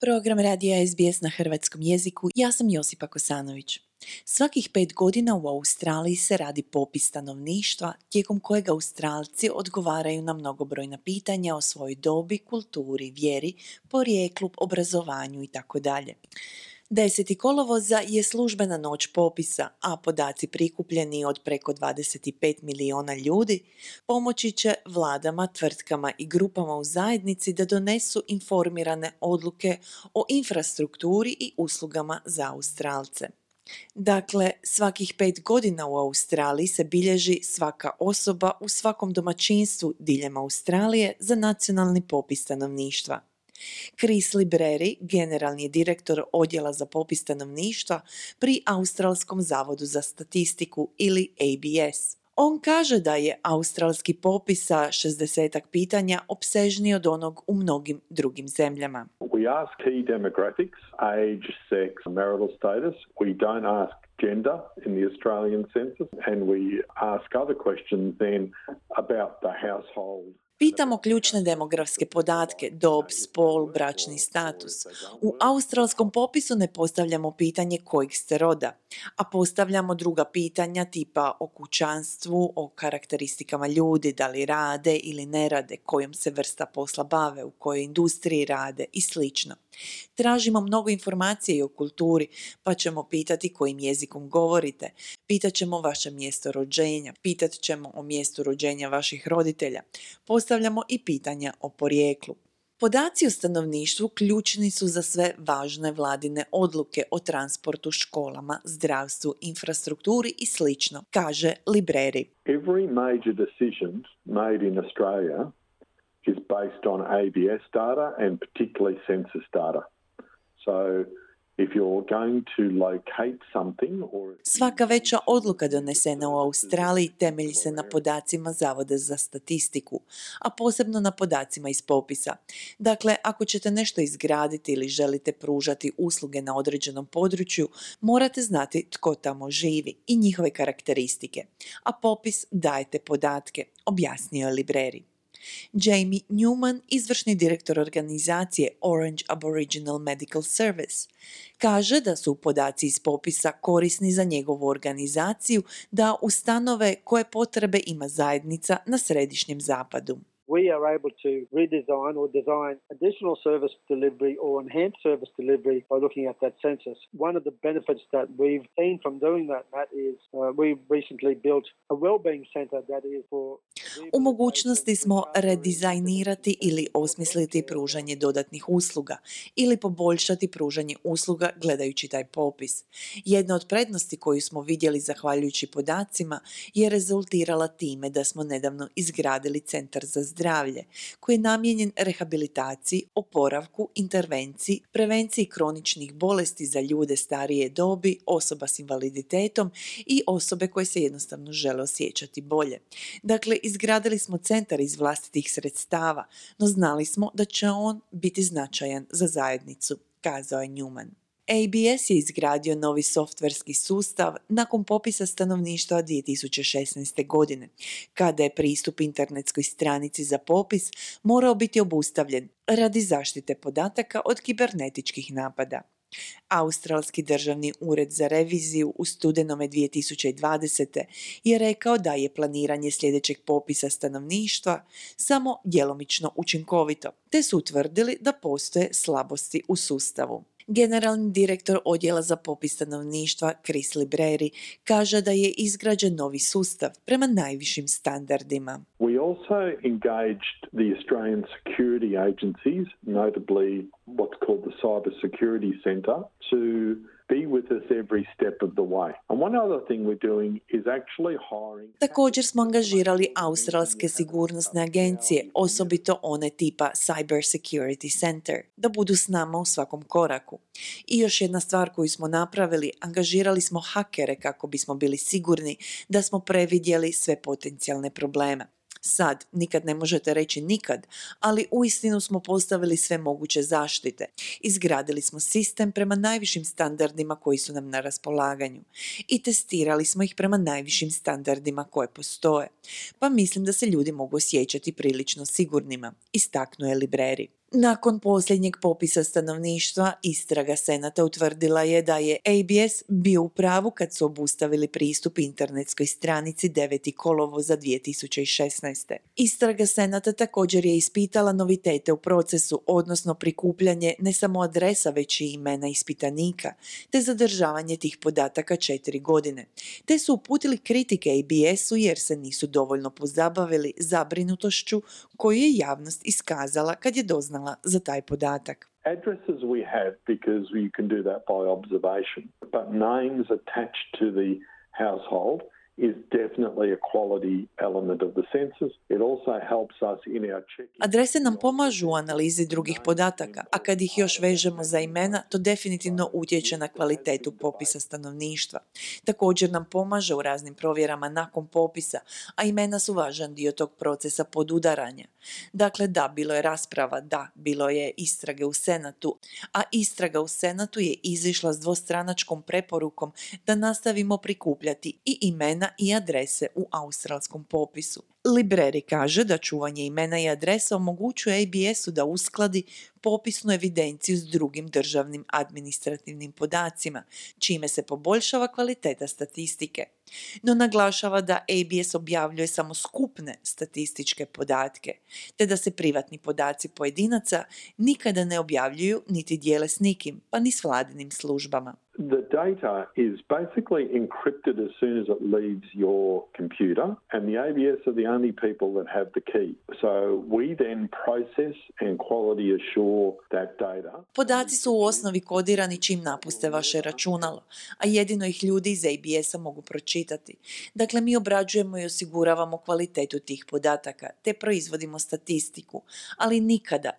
Program radija SBS na hrvatskom jeziku. Ja sam Josipa Kosanović. Svakih 5 godina u Australiji se radi popis stanovništva, tijekom kojeg Australci odgovaraju na mnogobrojna pitanja o svojoj dobi, kulturi, vjeri, porijeklu, obrazovanju itd. 10. kolovoza je službena noć popisa, a podaci prikupljeni od preko 25 milijuna ljudi pomoći će vladama, tvrtkama i grupama u zajednici da donesu informirane odluke o infrastrukturi i uslugama za Australce. Dakle, svakih 5 godina u Australiji se bilježi svaka osoba u svakom domaćinstvu diljem Australije za nacionalni popis stanovništva. Chris Libreri, generalni je direktor odjela za popis stanovništva pri Australskom zavodu za statistiku ili ABS. On kaže da je australski popis sa 60 pitanja opsežniji od onog u mnogim drugim zemljama. We ask key demographics, age, sex, marital status. We don't ask gender in the Australian census, and we ask other questions then about the household. Pitamo ključne demografske podatke, dob, spol, bračni status. U australskom popisu ne postavljamo pitanje kojeg ste roda, a postavljamo druga pitanja tipa o kućanstvu, o karakteristikama ljudi, da li rade ili ne rade, kojom se vrsta posla bave, u kojoj industriji rade i slično. Tražimo mnogo informacije i o kulturi, pa ćemo pitati kojim jezikom govorite, pitat ćemo vaše mjesto rođenja, pitat ćemo o mjestu rođenja vaših roditelja, postavljamo i pitanja o porijeklu. Podaci o stanovništvu ključni su za sve važne vladine odluke o transportu, školama, zdravstvu, infrastrukturi i slično, kaže Libreri. Every major decision made in Australia is based on ABS data and particularly census data. So if you're going to locate something or... Svaka veća odluka donesena u Australiji temelji se na podacima Zavoda za statistiku, a posebno na podacima iz popisa. Dakle, ako ćete nešto izgraditi ili želite pružati usluge na određenom području, morate znati tko tamo živi i njihove karakteristike. A popis dajete podatke, objasnio je Libreri. Jamie Newman, izvršni direktor organizacije Orange Aboriginal Medical Service, kaže da su podaci iz popisa korisni za njegovu organizaciju da ustanove koje potrebe ima zajednica na središnjem zapadu. We are able to redesign or design additional service delivery or enhanced service delivery by looking at that census. One of the benefits that we've seen from doing that, Matt, is we've recently built a wellbeing center that is for... U mogućnosti smo redizajnirati ili osmisliti pružanje dodatnih usluga ili poboljšati pružanje usluga gledajući taj popis. Jedna od prednosti koju smo vidjeli zahvaljujući podacima je rezultirala time da smo nedavno izgradili centar za zdravlje koji je namijenjen rehabilitaciji, oporavku, intervenciji, prevenciji kroničnih bolesti za ljude starije dobi, osoba s invaliditetom i osobe koje se jednostavno žele osjećati bolje. Dakle, izgradili smo centar iz vlastitih sredstava, no znali smo da će on biti značajan za zajednicu, kazao je Newman. ABS je izgradio novi softverski sustav nakon popisa stanovništva 2016. godine, kada je pristup internetskoj stranici za popis morao biti obustavljen radi zaštite podataka od kibernetičkih napada. Australski državni ured za reviziju u studenome 2020. je rekao da je planiranje sljedećeg popisa stanovništva samo djelomično učinkovito, te su utvrdili da postoje slabosti u sustavu. Generalni direktor odjela za popis stanovništva Chris Libreri kaže da je izgrađen novi sustav prema najvišim standardima. We also engaged the Australian security agencies, notably what's called the Cyber Security Centre, to be with us every step of the way. And one other thing we're doing is actually hiring... Također smo angažirali australske sigurnosne agencije, osobito one tipa Cyber Security Center, da budu s nama u svakom koraku. I još jedna stvar koju smo napravili, angažirali smo hakere kako bismo bili sigurni da smo previdjeli sve potencijalne probleme. Sad, nikad ne možete reći nikad, ali uistinu smo postavili sve moguće zaštite. Izgradili smo sistem prema najvišim standardima koji su nam na raspolaganju i testirali smo ih prema najvišim standardima koje postoje. Pa mislim da se ljudi mogu osjećati prilično sigurnima, istaknuo je Libreri. Nakon posljednjeg popisa stanovništva, istraga Senata utvrdila je da je ABS bio u pravu kad su obustavili pristup internetskoj stranici 9. kolovoza 2016. Istraga Senata također je ispitala novitete u procesu, odnosno prikupljanje ne samo adresa, već i imena ispitanika, te zadržavanje tih podataka 4 godine. Te su uputili kritike ABS-u jer se nisu dovoljno pozabavili zabrinutošću koju je javnost iskazala kad je doznala za taj podatak. Addresses we have because you can do that by observation, but names attached to the household is definitely a quality element of the census. It also helps us in our checking. Adrese nam pomažu u analizi drugih podataka, a kad ih još vežemo za imena, to definitivno utječe na kvalitetu popisa stanovništva. Također nam pomaže u raznim provjerama nakon popisa, a imena su važan dio tog procesa podudaranja. Dakle, da, bilo je rasprava, da, bilo je istrage u Senatu, a istraga u Senatu je izišla s dvostranačkom preporukom da nastavimo prikupljati i imena i adrese u australskom popisu. Libreri kaže da čuvanje imena i adresa omogućuje ABS-u da uskladi popisnu evidenciju s drugim državnim administrativnim podacima, čime se poboljšava kvaliteta statistike. No naglašava da ABS objavljuje samo skupne statističke podatke, te da se privatni podaci pojedinaca nikada ne objavljuju niti dijele s nikim, pa ni s vladinim službama. The data is basically encrypted as soon as it leaves your computer, and the ABS are the only people that have the key. So we then process and quality assure that data. Podaci su u osnovi kodirani čim napuste vaše računalo, a jedino ih ljudi iz ABS-a mogu pročitati. Dakle, mi obrađujemo i osiguravamo kvalitetu tih podataka, te proizvodimo statistiku, ali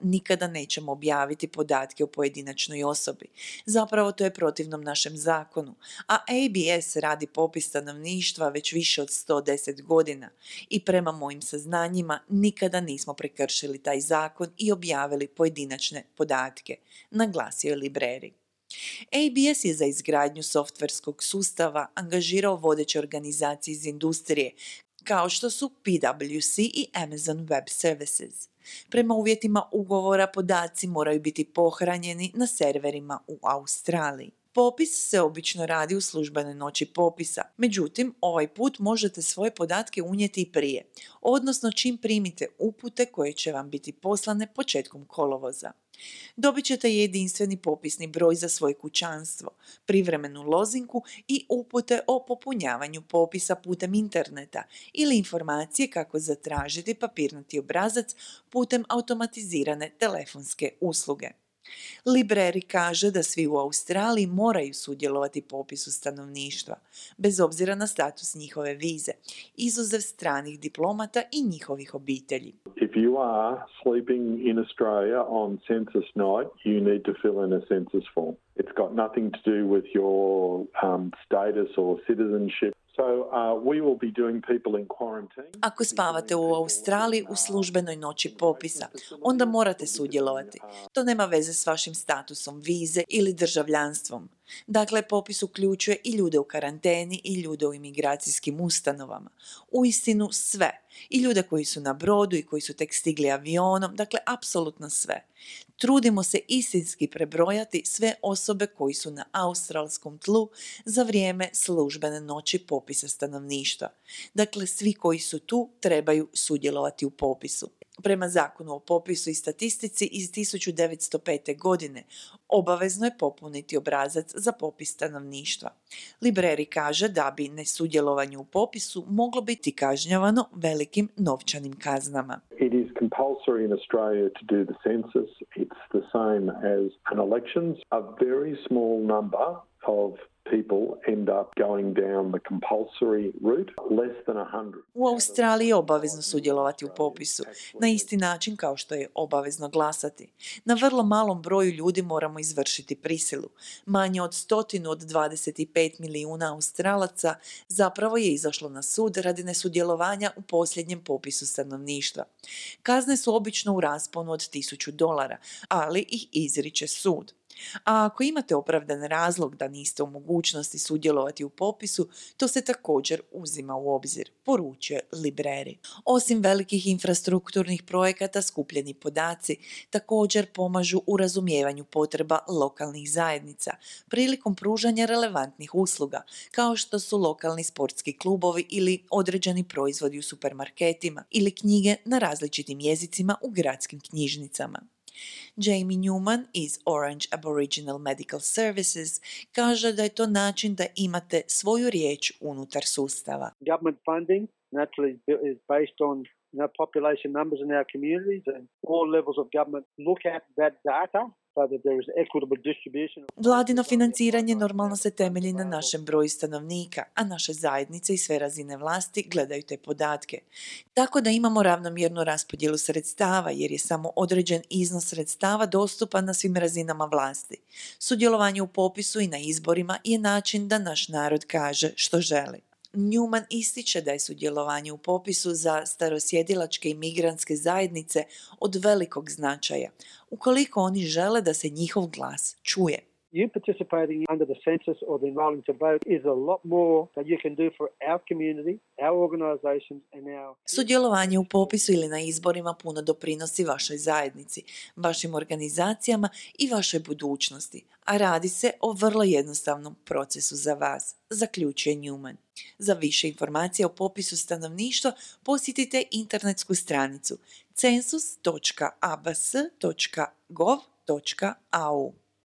nikada nećemo objaviti podatke o pojedinačnoj osobi. Zapravo to je protivno našem zakonu, a ABS radi popis stanovništva već više od 110 godina i prema mojim saznanjima nikada nismo prekršili taj zakon i objavili pojedinačne podatke, naglasio je Libreri. ABS je za izgradnju softverskog sustava angažirao vodeće organizacije iz industrije, kao što su PwC i Amazon Web Services. Prema uvjetima ugovora podaci moraju biti pohranjeni na serverima u Australiji. Popis se obično radi u službenoj noći popisa, međutim, ovaj put možete svoje podatke unijeti i prije, odnosno čim primite upute koje će vam biti poslane početkom kolovoza. Dobit ćete jedinstveni popisni broj za svoje kućanstvo, privremenu lozinku i upute o popunjavanju popisa putem interneta ili informacije kako zatražiti papirnati obrazac putem automatizirane telefonske usluge. Libreri kaže da svi u Australiji moraju sudjelovati u popisu stanovništva, bez obzira na status njihove vize, izuzev stranih diplomata i njihovih obitelji. If you are sleeping in Australia on census night, you need to fill in a census form. It's got nothing to do with your status or citizenship. So we will be doing people in quarantine. Ako spavate u Australiji u službenoj noći popisa, onda morate sudjelovati. To nema veze s vašim statusom vize ili državljanstvom. Dakle, popis uključuje i ljude u karanteni i ljude u imigracijskim ustanovama. Uistinu sve. I ljude koji su na brodu i koji su tek stigli avionom, dakle, apsolutno sve. Trudimo se istinski prebrojati sve osobe koji su na australskom tlu za vrijeme službene noći popisa stanovništva. Dakle, svi koji su tu trebaju sudjelovati u popisu. Prema zakonu o popisu i statistici iz 1905. godine obavezno je popuniti obrazac za popis stanovništva. Libreri kaže da bi nesudjelovanje u popisu moglo biti kažnjavano velikim novčanim kaznama. It is compulsory in Australia to do the census. It's the same as an elections. A very small number of people end up going down the compulsory route, less than 100. U Australiji je obavezno sudjelovati u popisu, na isti način kao što je obavezno glasati. Na vrlo malom broju ljudi moramo izvršiti prisilu. Manje od 125 milijuna Australaca zapravo je izašlo na sud radi nesudjelovanja u posljednjem popisu stanovništva. Kazne su obično u rasponu od $1000, ali ih izriče sud. A ako imate opravdan razlog da niste u mogućnosti sudjelovati u popisu, to se također uzima u obzir, poručuje Libreri. Osim velikih infrastrukturnih projekata, skupljeni podaci također pomažu u razumijevanju potreba lokalnih zajednica prilikom pružanja relevantnih usluga, kao što su lokalni sportski klubovi ili određeni proizvodi u supermarketima ili knjige na različitim jezicima u gradskim knjižnicama. Jamie Newman iz Orange Aboriginal Medical Services kaže da je to način da imate svoju riječ unutar sustava. Government funding naturally is based on population numbers in our communities, and all levels of government look at that data so that there is equitable distribution. Vladino financiranje normalno se temelji na našem broju stanovnika, a naše zajednice i sve razine vlasti gledaju te podatke. Tako da imamo ravnomjernu raspodjelu sredstava jer je samo određen iznos sredstava dostupan na svim razinama vlasti. Sudjelovanje u popisu i na izborima je način da naš narod kaže što želi. Newman ističe da je sudjelovanje u popisu za starosjedilačke i migrantske zajednice od velikog značaja, ukoliko oni žele da se njihov glas čuje. You participating under the census or the enrolling to vote is a lot more that you can do for our community, our organisations and our... Sudjelovanje u popisu ili na izborima puno doprinosi vašoj zajednici, vašim organizacijama i vašoj budućnosti, a radi se o vrlo jednostavnom procesu za vas, zaključuje Newman. Za više informacija o popisu stanovništva posjetite internetsku stranicu census.abs.gov.au.